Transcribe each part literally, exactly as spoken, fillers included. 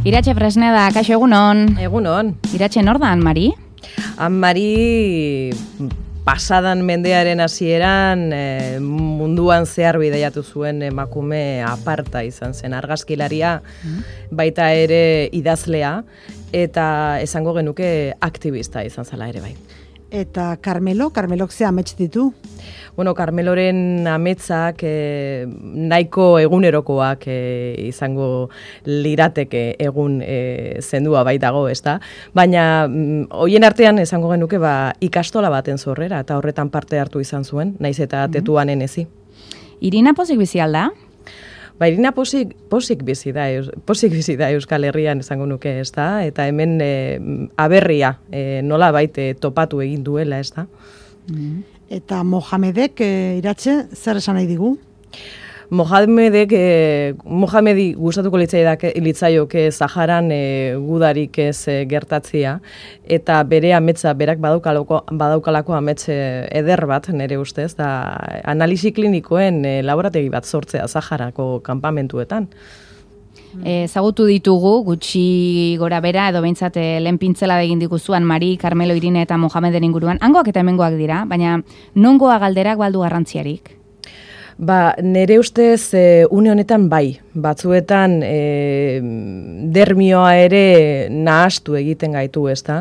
Iratxe Fresneda, kaixo egunon. Egunon. Iratxe nor da, Anmari? Anmari pasadan mendearen hasieran e, munduan zehar bidaiatu zuen emakume aparta izan zen, argazkilaria, mm. baita ere idazlea, eta esango genuke aktivista izan zela ere bai. Eta Carmelo, Carmelok ze amets ditu? Bueno, Carmeloren ametsak e, nahiko egunerokoak e, izango lirateke egun e, zendua baitago, ezta? Baina mm, hoien artean esango genuke ba, ikastola baten zorrera, eta horretan parte hartu izan zuen, naiz eta mm-hmm. tetuanen ezi. Irina pozik bizi alda? Ba, Irina posik, posik bizi da, posik bizi da Euskal Herrian esango nuke, ezta? Eta hemen e, aberria e, nola baite topatu egin duela, ezta? Mm-hmm. Eta Mohamedek, e, Iratxe, zer esan nahi digu? Mohamedek, e, Mohamedi gustatuko litzaioke Saharan e, gudarik ez e, gertatzia, eta bere ametsa, berak badaukalako, badaukalako amets eder bat, nire ustez, da analisi klinikoen e, laborategi bat sortzea Saharako kanpamentuetan. Ezagutu ditugu, gutxi gora bera, edo behintzat lehen pintzela egin diguzuan Mari, Carmelo, Irine eta Mohameden inguruan. Hangoak eta hemengoak dira, baina nongoa galderak baldu garrantziarik? Ba, nire ustez e, une honetan bai, batzuetan e, dermioa ere nahastu egiten gaitu, ezta?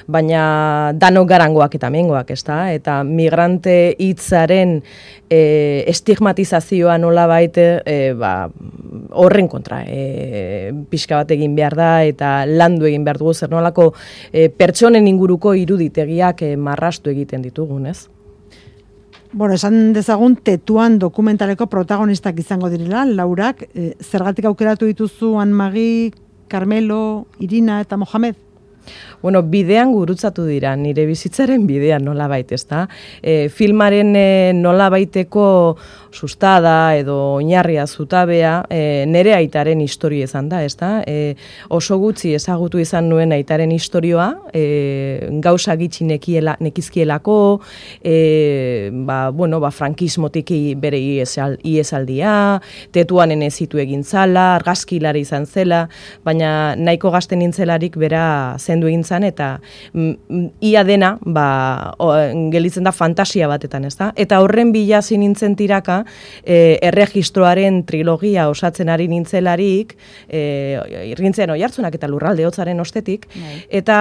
Baina danok garangoak eta mengoak, ezta? Eta migrante hitzaren e, estigmatizazioa nola baite, e, ba, horren kontra, e, pixka bat egin behar da eta landu egin behar dugu zer nolako e, pertsonen inguruko iruditegiak e, marrastu egiten ditugun, ez? Bueno, esan dezagun tetuan dokumentaleko protagonistak izango direla, Laurak, e, zergatik aukeratu dituzu Anmagi, Carmelo, Irina eta Mohamed? Bueno, bidean gurutzatu dira, nire bizitzaren bidean nola baita, ezta? E, filmaren e, nola baiteko sustada edo oinarria zutabea e, nire aitaren historia izan da, ezta? E, oso gutxi ezagutu izan nuen aitaren historioa, e, gauza gitxi nekiela, nekizkielako, e, ba, bueno, ba, frankismotik bere iesaldia, tetuanen ezitu egin zala, argazkilari izan zela, baina nahiko gazten nintzelarik bera zendu egin zan, eta mm, ia dena ba, o, gelitzen da fantasia batetan, ezta? Eta horren bila nintzen tiraka, e, erregistroaren trilogia osatzen ari nintzelarik, e, irrintzen oihartzunak eta lurralde hotzaren ostetik, Nei. Eta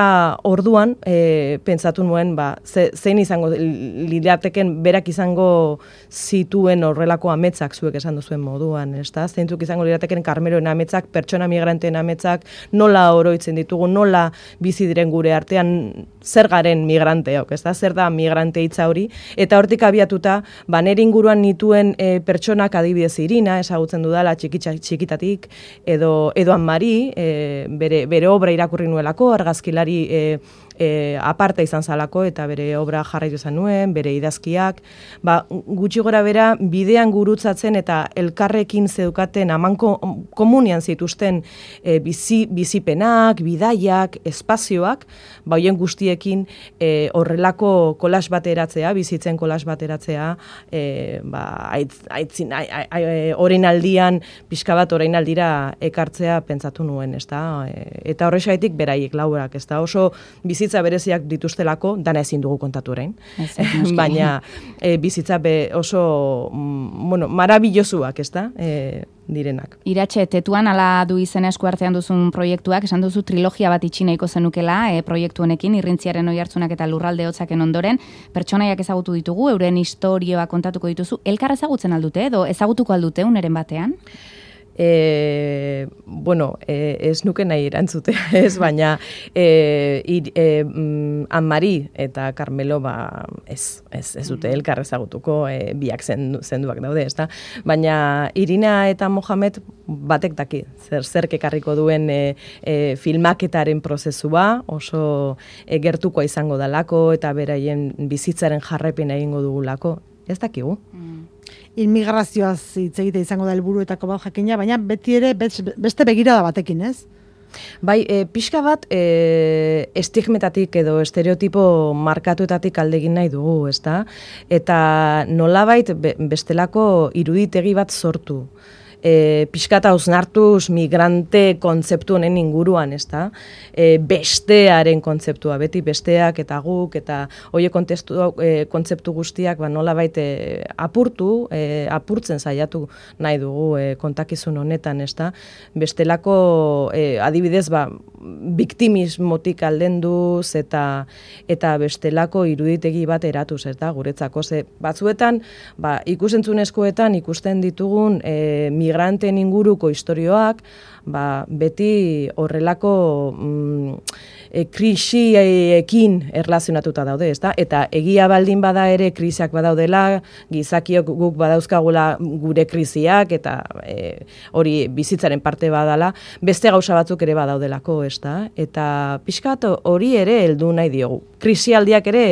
orduan e, pentsatu nuen, ba, ze, zein izango lirateken berak izango zituen horrelako ametsak zuek esan duzuen moduan, ezta? Zeintzuk izango lirateken Carmeloen ametsak, pertsona migranteen ametsak, nola oroitzen ditugu, nola bizi diren gure artean, zer garen migranteok, ez da, zer da migrante hitza hori, eta hortik abiatuta, ba, nire inguruan nituen e, pertsonak adibidez Irina, ezagutzen dudala txikitza, txikitatik, edo, edo Anmari, e, bere, bere obra irakurri nuelako, argazkilari e, e, aparta izan zalako, eta bere obra jarraitu izan nuen, bere idazkiak, ba, gutxi gora bera, bidean gurutzatzen eta elkarrekin zeukaten amanko komunian zituzten e, bizi, bizipenak, bidaiak, espazioak, ba, hoien guztiekin e, horrelako kolas bateratzea, bizitzen kolas bateratzea, e, ba, aitz, aitzin, orain aldian, pixka bat orain aldira ekartzea pentsatu nuen, ez da? E, eta horrexaitik beraiek laurak, ez da? Oso bizitza bereziak dituztelako, dana ezin dugu kontatu orain, baina e, bizitza be oso, mm, bueno, marabillosuak, ez da? E, direnak. Iratxe, tetuan ala du izen esku artean duzun proiektuak, esan duzu trilogia bat itxineiko zenukela e, proiektu honekin, irrintziaren oihartzunak eta lurralde hotzaken ondoren, pertsonaiak ezagutu ditugu, euren historioa kontatuko dituzu, elkar ezagutzen aldute edo ezagutuko aldute uneren batean? E, bueno, e, ez nuke nahi erantzutea, ez, baina e, ir, e, mm, Anmari eta Carmelo ba, ez, ez, ez dute elkar ezagutuko, e, biak zendu, zenduak daude, ezta? Baina Irina eta Mohamed batek daki, zer zerk ekarriko duen e, e, filmaketaren prozesua, oso e, gertukoa izango dalako eta beraien bizitzaren jarraipen egingo dugulako, ez dakigu. Mm. Inmigrazioaz hitz egite izango da helburuetako bat jakina, baina beti ere beste begirada batekin, ez? Bai, e, pixka bat e, estigmetatik edo estereotipo markatuetatik alde egin nahi dugu, ezta? Eta nolabait be, bestelako iruditegi bat sortu. e, pixkata hausnartuz migrante kontzeptu honen inguruan, ez da? E, bestearen kontzeptua, beti besteak eta guk, eta hoie e, kontzeptu guztiak ba, nola baite apurtu, e, apurtzen saiatu nahi dugu e, kontakizun honetan, ez da? Bestelako, e, adibidez, ba, biktimismotik aldenduz eta eta bestelako iruditegi bat eratuz, ez da, guretzako. Ze batzuetan, ba, ikusentzunezkoetan ikusten ditugun e, migranten inguruko istorioak, ba, beti horrelako mm, e, krisiekin erlazionatuta daude, ezta? Eta egia baldin bada ere krisiak badaudela, gizakiok guk badauzkagula gure krisiak, eta e, hori bizitzaren parte badala, beste gauza batzuk ere badaudelako, ezta? Eta pixkat hori ere heldu nahi diogu. Krisialdiak ere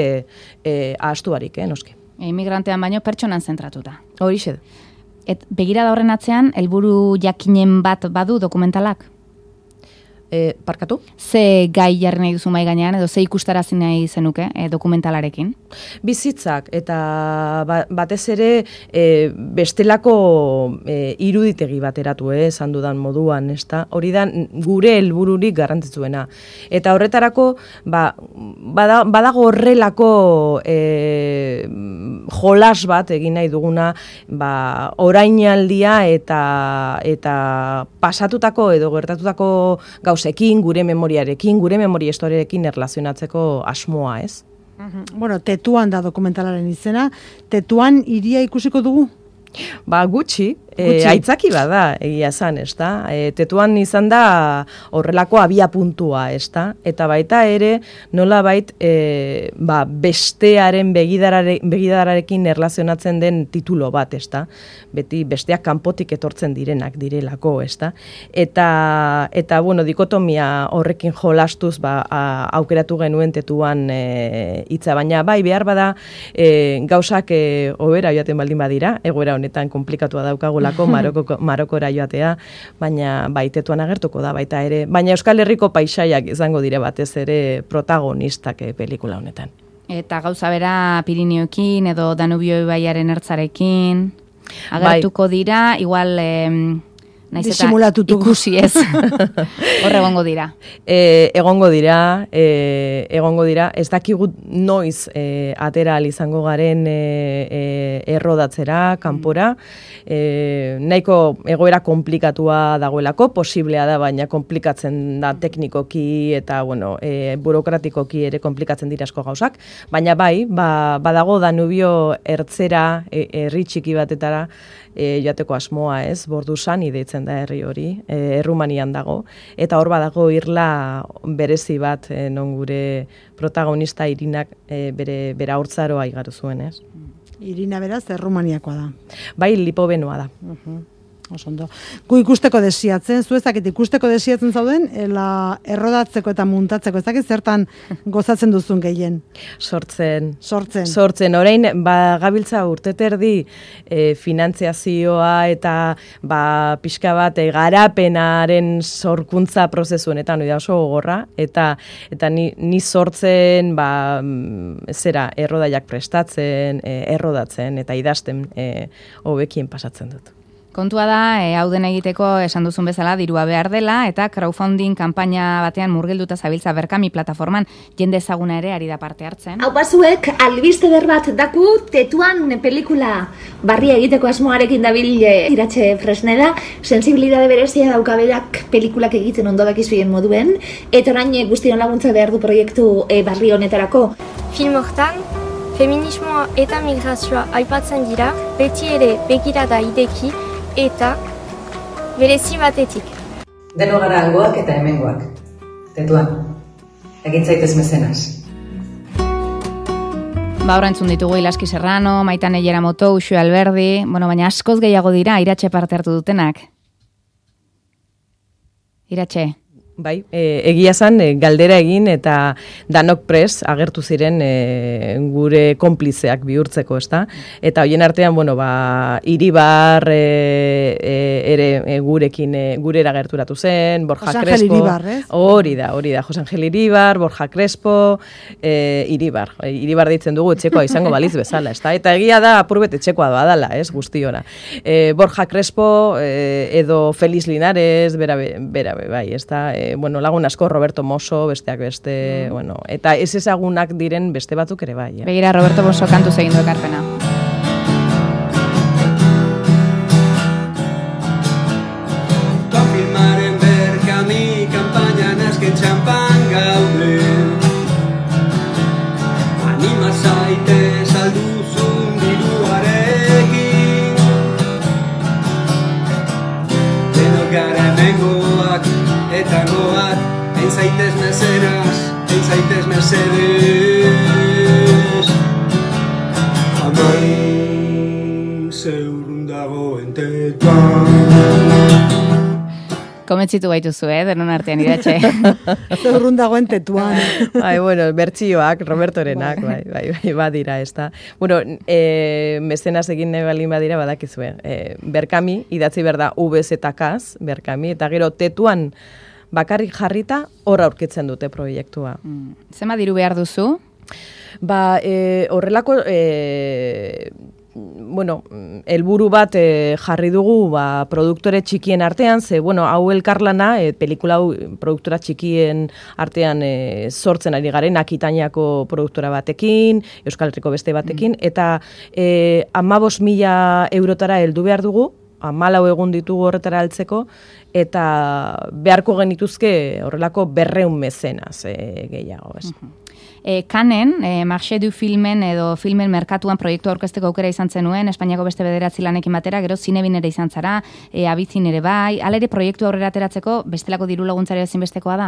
e, ahaztu barik, eh, noski. Immigrantean baino pertsonan zentratuta. Horixe da. Et begirada horren atzean, helburu jakinen bat badu dokumentalak? E, parkatu? Ze gai jarri nahi duzu mai gainean, edo ze ikustarazi nahi zenuke e, dokumentalarekin? Bizitzak, eta ba, batez ere e, bestelako e, iruditegi bateratu, eh, esan dudan moduan, ezta? Hori da gure helbururik garrantzitsuena. Eta horretarako, ba, bada, badago horrelako e, jolas bat egin nahi duguna, ba, orainaldia eta, eta pasatutako edo gertatutako gauz ekin, gure memoriarekin, gure memoria historiarekin erlazionatzeko asmoa, ez? Bueno, Tetuan da dokumentalaren izena. Tetuan hiria ikusiko dugu? Ba, gutxi, e, aitzaki bada, egia esan, ez da? E, Tetuan izan da horrelako abia puntua, ez da? Eta baita ere, nola bait, e, ba, bestearen begidarare, begidararekin erlazionatzen den titulo bat, ez da? Beti besteak kanpotik etortzen direnak direlako, ez da? Eta, eta, bueno, dikotomia horrekin jolastuz, ba, a, aukeratu genuen Tetuan e, hitza, baina bai, behar bada, e, gauzak e, hobera joaten baldin badira, egoera honetan komplikatua daukagulako Maroko, Marokora joatea, baina bai, Tetuan agertuko da baita ere, baina Euskal Herriko paisaiak izango dire batez ere protagonistak eh, pelikula honetan. Eta gauza bera Pirineoekin edo Danubio ibaiaren ertzarekin agertuko bai. Dira, igual eh, naiz eta ikusi ez. Hor egongo dira. E, egongo dira, e, egongo dira, ez dakigu noiz e, atera izango garen e, e, errodatzera, kanpora, e, nahiko egoera komplikatua dagoelako, posiblea da, baina komplikatzen da teknikoki eta, bueno, e, burokratikoki ere komplikatzen dira asko gauzak, baina bai, ba, badago Danubio ertzera, e, herri txiki batetara, e, joateko asmoa, ez, Borduzan ideitzen da herri hori, e, Errumanian dago, eta hor badago irla berezi bat, e, non gure protagonista Irinak e, bere, bere haurtzaroa igaru zuen, ez? Irina beraz, Errumaniakoa da. Bai, Lipovenoa da. Uh-huh. Osondo. Gu ikusteko desiatzen, zu ezakit ikusteko desiatzen zauden, ela errodatzeko eta muntatzeko, ezakit zertan gozatzen duzun gehien? Sortzen. Sortzen. Sortzen. Orain, ba, gabiltza urteterdi e, finantziazioa eta ba, pixka bat e, garapenaren sorkuntza prozesu honetan, oida oso gogorra, eta, eta ni, ni sortzen, ba, zera, errodaiak prestatzen, e, errodatzen, eta idazten e, hobekien pasatzen dut. Kontua da, e, hau den egiteko esan duzun bezala dirua behar dela, eta crowdfunding kanpaina batean murgilduta zabiltza Berkami plataforman jende ezaguna ere ari da parte hartzen. Hau pasuek, albiste berbat daku Tetuan pelikula barria egiteko asmoarekin dabil Iratxe Fresneda, sensibilidade berezia daukaberak pelikulak egiten ondo dakizuen moduen, eta orain guztion laguntza behar du proiektu e, barri honetarako. Film hortan, feminismoa eta migrazioa aipatzen dira, beti ere begirada ideki, eta berezi batetik. Deno gara hangoak eta hemengoak. Tetuan, egin zaitez mezenaz. Ba, horra entzun ditugu Ilaski Serrano, Maitane Yeramoto, Uxue Alberdi, bueno, baina askoz gehiago dira Iratxe parte hartu dutenak. Iratxe? Bai, e, egia zan, e, galdera egin eta danok pres agertu ziren e, gure konplizeak bihurtzeko, ezta? Eta hoien artean, bueno, ba, Iribar e, e, ere e, gurekin e, gurera gerturatu zen, Borja Jose Crespo. Angel Iribar, ez? Hori da, hori da, Jose Angel Iribar, Borja Crespo, e, Iribar. E, Iribar deitzen dugu etxekoa izango baliz bezala, ezta? Eta egia da, apurbet etxekoa badala, ez, guztiona. E, Borja Crespo e, edo Feliz Linares, bera, bera, bai, ezta? E, bueno, lagun asko, Roberto Mosso, besteak beste, mm. bueno, eta ez ezagunak diren beste batzuk ere bai. Eh? Begira, Roberto Mosso kantu egin du ekarpena. Konfirmaren berkami kanpainan azken txampan gaude. Anima zaite salduzun diruarekin. Denok gara hemengoak eta goat, hain zaitez meseras, hain zaitez mesedes. Amain zeurrun dagoen tetuan. Komentzitu gaituzu, eh, denon artean iratxe. Zeurrun dagoen tetuan. Bai, bueno, bertsioak, Robertorenak, bai, bai, bai, badira, ez da. Bueno, e, mezenaz egin nahi balin badira badakizue. E, Berkami, idatzi berda V Z Kaz, Berkami, eta gero tetuan bakarrik jarrita hor aurkitzen dute proiektua. Mm. Zema diru behar duzu? Ba, e, horrelako... E, bueno, helburu bat e, jarri dugu ba, produktore txikien artean, ze, bueno, hau elkarlana, e, pelikula hau produktora txikien artean e, sortzen ari garen, Akitainako produktora batekin, Euskal Herriko beste batekin, mm. eta e, amabos mila eurotara heldu behar dugu, hamalau egun ditugu horretara altzeko, eta beharko genituzke horrelako berreun mezenaz e, gehiago, ez. Mm-hmm. E, Kanen, e, Marché du Filmen edo filmen merkatuan proiektu aurkezteko aukera izan zenuen, Espainiako beste bederatzi lanekin batera, gero zinebin ere izan zara, e, abizin ere bai, alere proiektu aurrera ateratzeko bestelako diru laguntzari ezinbestekoa da?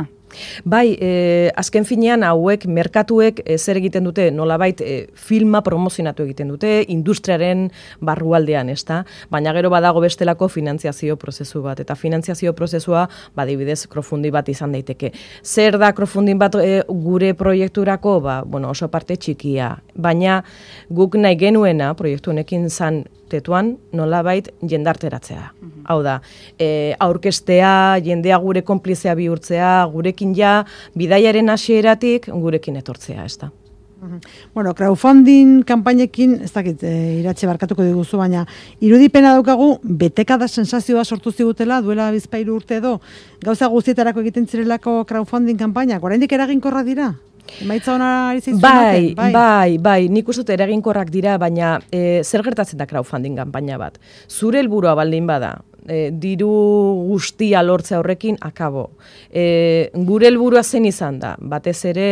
Bai, e, azken finean hauek, merkatuek e, zer egiten dute, nolabait e, filma promozionatu egiten dute, industriaren barrualdean, ezta? Baina gero badago bestelako finantziazio prozesu bat, eta finantziazio prozesua, badibidez, crowdfunding bat izan daiteke. Zer da crowdfunding bat e, gure proiekturako? Ba, bueno, oso parte txikia, baina guk nahi genuena proiektu honekin zan tetuan nolabait jendarteratzea. Mm-hmm. Hau da, e, aurkestea, jendea gure konplizea bihurtzea, gurekin ja bidaiaren hasieratik gurekin etortzea, ez da. Bueno, crowdfunding kanpainekin, ez dakit, e, iratxe barkatuko diguzu, baina irudipena daukagu, betekada sensazioa sortu zigutela, duela bizpairu urte edo, gauza guztietarako egiten zirelako crowdfunding kanpainak, oraindik eraginkorrak dira? Emaitza hona ari zaizu bai, bai, bai, bai, nik uste dut eraginkorrak dira, baina e, zer gertatzen da crowdfunding kanpaina bat? Zure helburua baldin bada, e, diru guztia lortzea horrekin akabo. E, gure helburua zen izan da, batez ere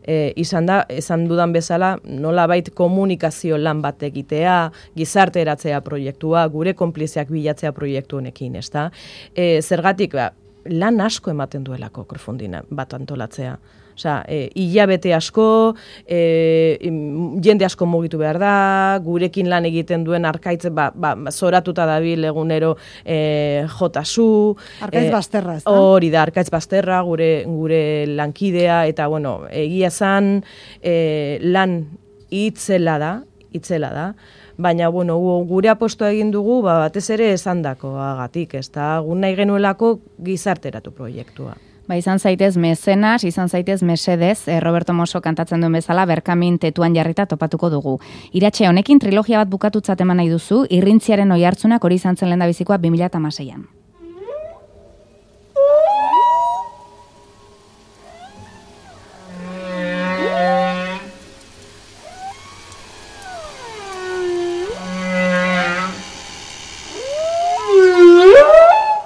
e, izan da, esan dudan bezala, nolabait komunikazio lan bat egitea, gizarte eratzea proiektua, gure konplizeak bilatzea proiektu honekin, ezta? E, zergatik, ba, lan asko ematen duelako crowdfunding bat antolatzea. Osea, e, hilabete asko, e, jende asko mugitu behar da, gurekin lan egiten duen arkaitz, ba, ba, zoratuta dabil egunero e, jotasu. Arkaitz e, bazterra, ez da? Hori da, arkaitz bazterra, gure, gure lankidea, eta, bueno, egia zan e, lan itzela da, itzela da, baina, bueno, gure apostoa egin dugu, ba, batez ere esandakoagatik, ez da, gun nahi genuelako gizarteratu proiektua. Ba, izan zaitez mezenas, izan zaitez mesedez, eh, Roberto Mosso kantatzen duen bezala, Berkamin tetuan jarrita topatuko dugu. Iratxe, honekin trilogia bat bukatutzat eman nahi duzu, irrintziaren oihartzunak hori izan zen lehendabizikoa bi mila hamaseian.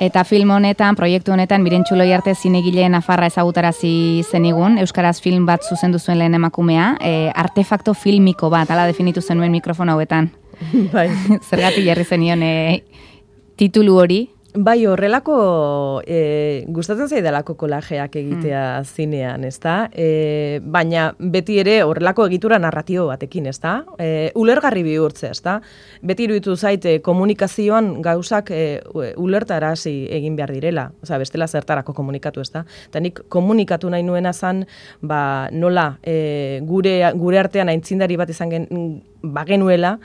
Eta film honetan, proiektu honetan, Mirentxu Loiarte zinegileen Nafarra ezagutarazi zenigun, euskaraz film bat zuzendu zuen lehen emakumea, e, artefakto filmiko bat, ala definitu zenuen mikrofon hauetan. Bai. Zergatik jarri zenion e, titulu hori? Bai, horrelako, e, gustatzen zaidalako kolajeak egitea mm. zinean, ezta? E, baina beti ere horrelako egitura narratio batekin, ezta? E, ulergarri bihurtzea, ezta? Beti iruditu zaite komunikazioan gauzak e, ulertarazi egin behar direla, osea, bestela zertarako komunikatu, ezta? Eta nik komunikatu nahi nuena zan, ba, nola, e, gure, gure artean aintzindari bat izan gen, bagenuela,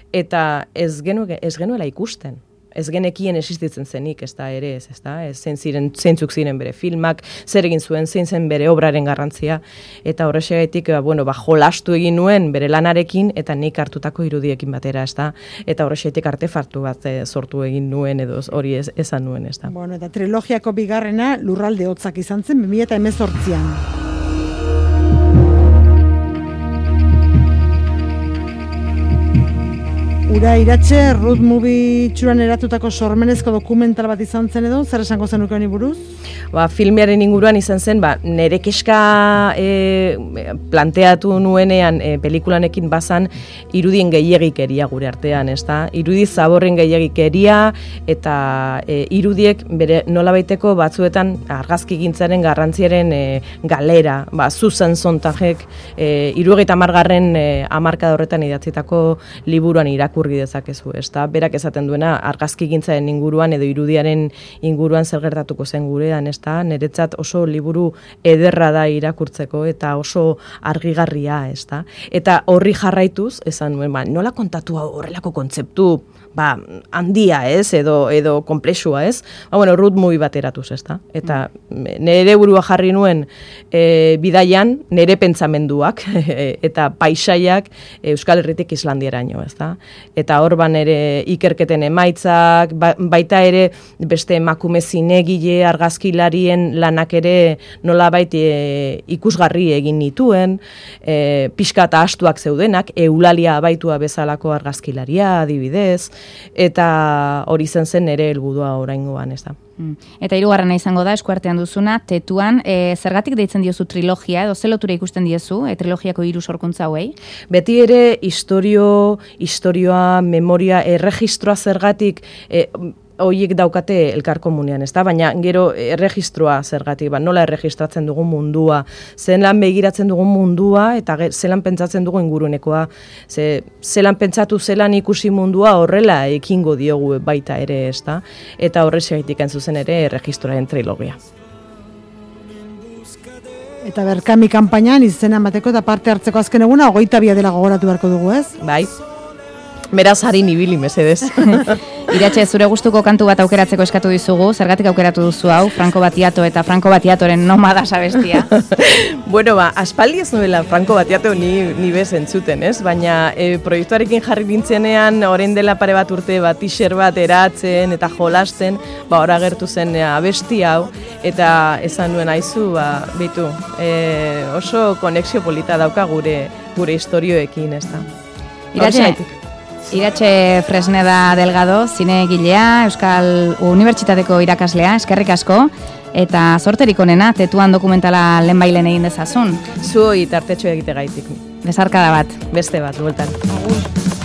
eta ez, genu, ez genuela ikusten. Ez genekien existitzen zenik, ez da ere ez, ez da, ez zein ziren, zeintzuk ziren bere filmak, zer egin zuen, zein zen bere obraren garrantzia, eta horrexegatik, bueno, ba, jolastu egin nuen bere lanarekin, eta nik hartutako irudiekin batera, ez da, eta horrexegatik artefartu bat e, sortu egin nuen, edo hori ez, esan nuen, ez da. Bueno, eta trilogiako bigarrena Lurralde Hotzak izan zen, bi mila hemezortzian. Ura Iratxe, Ruth Movie txuran eratutako sormenezko dokumental bat izan zen edo, zer esango zenuke honi buruz? Ba, filmearen inguruan izan zen, ba, nere keska e, planteatu nuenean e, pelikulanekin bazan irudien gehiagikeria gure artean, ez da? Irudi zaborren gehiagikeria eta e, irudiek bere nolabaiteko batzuetan argazkigintzaren garrantziaren e, galera, ba, Susan Sontagek e, hirurogeita hamargarren e, hamarkada horretan idatzitako liburuan irakurri dezakezu, ezta? Berak esaten duena argazkigintzaren inguruan edo irudiaren inguruan zer gertatuko zen gurean, ezta? Niretzat oso liburu ederra da irakurtzeko eta oso argigarria, ezta? Eta horri jarraituz, esan nuen, ba, nola kontatu horrelako kontzeptu, ba, handia, ez, edo edo konplexua, ez? Ba, bueno, Ruth Movie bat eratuz, ezta? Eta nere burua jarri nuen e, bidaian, nere pentsamenduak eta paisaiak Euskal Herritik Islandiaraino, ezta? Eta hor ban ere ikerketen emaitzak, ba, baita ere beste emakume zinegile argazkilarien lanak ere nolabait e, ikusgarri egin nituen, e, pixka eta astuak zeudenak, Eulalia Abaitua bezalako argazkilaria adibidez, eta hori zen zen ere helburua oraingoan, ez da. Eta hirugarrena izango da, eskuartean duzuna, Tetuan, e, zergatik deitzen diozu trilogia, edo ze lotura ikusten diezu, e, trilogiako hiru sorkuntza hauei? Beti ere historio, historioa, memoria, erregistroa zergatik, e, horiek daukate elkar komunean, ez da? Baina gero erregistroa zergatik, ba, nola erregistratzen dugun mundua, zelan begiratzen dugun mundua, eta zelan pentsatzen dugu ingurunekoa, ze, zelan pentsatu zelan ikusi mundua horrela ekingo diogu baita ere, ez da? Eta horrexegatik zuzen ere erregistroaren trilogia. Eta Berkami kanpainan izena emateko eta parte hartzeko azken eguna, hogeita bi dela gogoratu beharko dugu, ez? Bai. Beraz, harin ibili, mesedez. Iratxe, zure gustuko kantu bat aukeratzeko eskatu dizugu, zergatik aukeratu duzu hau, Franco Battiato eta Franco Battiatoren Nomadas abestia. Bueno, ba, aspaldi ez nuela Franco Battiato ni, ni bez entzuten, ez? Baina e, proiektuarekin jarri nintzenean, orain dela pare bat urte bat t-shirt bat eratzen eta jolasten, ba, ora gertu zen e, abesti hau, eta esan nuen aizu, ba, bitu, e, oso konexio polita dauka gure, gure historioekin, ez da. Iratxe, Iratxe Fresneda Delgado, zinegilea, Euskal Unibertsitateko irakaslea, eskerrik asko, eta sorterik onena, Tetuan dokumentala lehenbailen egin dezazun. Zuoi tartetxo egite gaitik. Besarkada bat. Beste bat, bueltan. Agur.